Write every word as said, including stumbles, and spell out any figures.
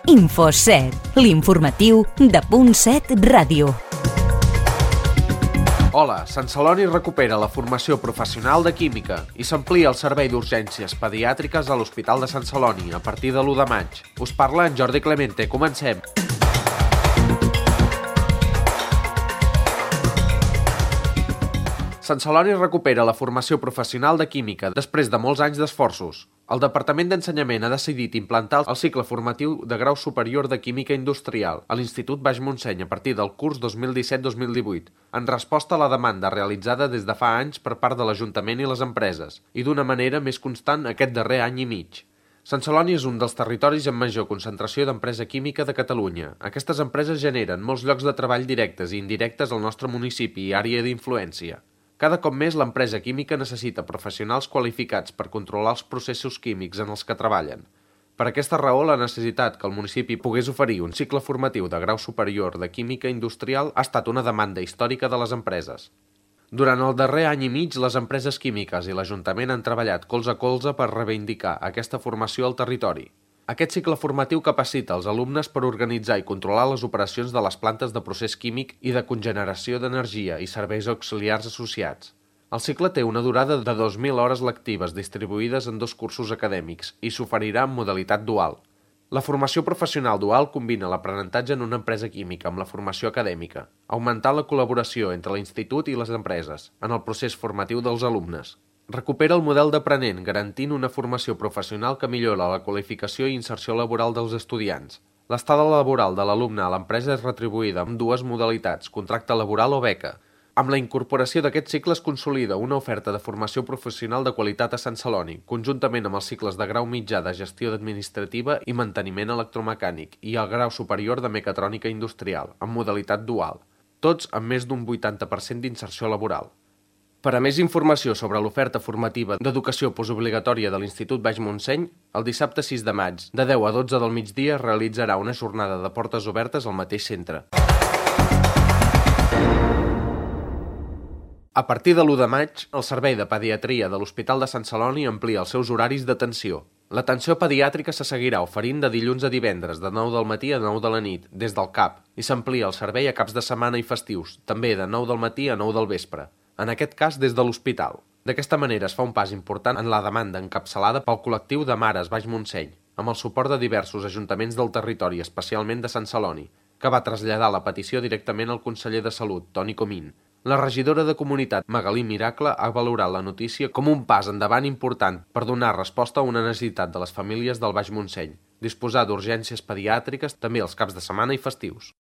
InfoSet, l'informatiu de Punt set Ràdio. Hola, Sant Celoni recupera la formació professional de química i s'amplia el servei d'urgències pediàtriques a l'Hospital de Sant Celoni a partir de l'u de maig. Us parla en Jordi Clemente. Comencem. Sant Celoni recupera la formació professional de química després de molts anys d'esforços. El Departament d'Ensenyament ha decidit implantar el cicle formatiu de grau superior de Química Industrial a l'Institut Baix Montseny a partir del curs dos mil disset dos mil divuit, en resposta a la demanda realitzada des de fa anys per part de l'Ajuntament i les empreses, i d'una manera més constant aquest darrer any i mig. Sant Celoni és un dels territoris amb major concentració d'empresa química de Catalunya. Aquestes empreses generen molts llocs de treball directes i indirectes al nostre municipi i àrea d'influència. Cada cop més l'empresa química necessita professionals qualificats per controlar els processos químics en els que treballen. Per aquesta raó, la necessitat que el municipi pogués oferir un cicle formatiu de grau superior de química industrial ha estat una demanda històrica de les empreses. Durant el darrer any i mig, les empreses químiques i l'Ajuntament han treballat colze a colze per reivindicar aquesta formació al territori. Aquest cicle formatiu capacita els alumnes per organitzar i controlar les operacions de les plantes de procés químic i de cogeneració d'energia i serveis auxiliars associats. El cicle té una durada de dos mil hores lectives distribuïdes en dos cursos acadèmics i s'oferirà en modalitat dual. La formació professional dual combina l'aprenentatge en una empresa química amb la formació acadèmica, augmentant la col·laboració entre l'institut i les empreses en el procés formatiu dels alumnes. Recupera el model d'aprenent, garantint una formació professional que millora la qualificació i inserció laboral dels estudiants. L'estada laboral de l'alumne a l'empresa és retribuïda amb dues modalitats, contracte laboral o beca. Amb la incorporació d'aquest cicle es consolida una oferta de formació professional de qualitat a Sant Celoni, conjuntament amb els cicles de grau mitjà de gestió administrativa i manteniment electromecànic i el grau superior de mecatrònica industrial, en modalitat dual, tots amb més d'un vuitanta per cent d'inserció laboral. Per a més informació sobre l'oferta formativa d'educació postobligatòria de l'Institut Baix Montseny, el dissabte sis de maig, de deu a dotze del migdia, es realitzarà una jornada de portes obertes al mateix centre. A partir de l'u de maig, el Servei de Pediatria de l'Hospital de Sant Celoni amplia els seus horaris d'atenció. L'atenció pediàtrica se seguirà oferint de dilluns a divendres, de nou del matí a nou de la nit, des del C A P, i s'amplia el servei a caps de setmana i festius, també de nou del matí a nou del vespre. En aquest cas des de l'hospital. D'aquesta manera es fa un pas important en la demanda encapçalada pel col·lectiu de Mares Baix Montseny, amb el suport de diversos ajuntaments del territori, especialment de Sant Celoni, que va traslladar la petició directament al conseller de Salut, Toni Comín. La regidora de Comunitat, Magalí Miracle, ha valorat la notícia com un pas endavant important per donar resposta a una necessitat de les famílies del Baix Montseny, disposar d'urgències pediàtriques també els caps de setmana i festius.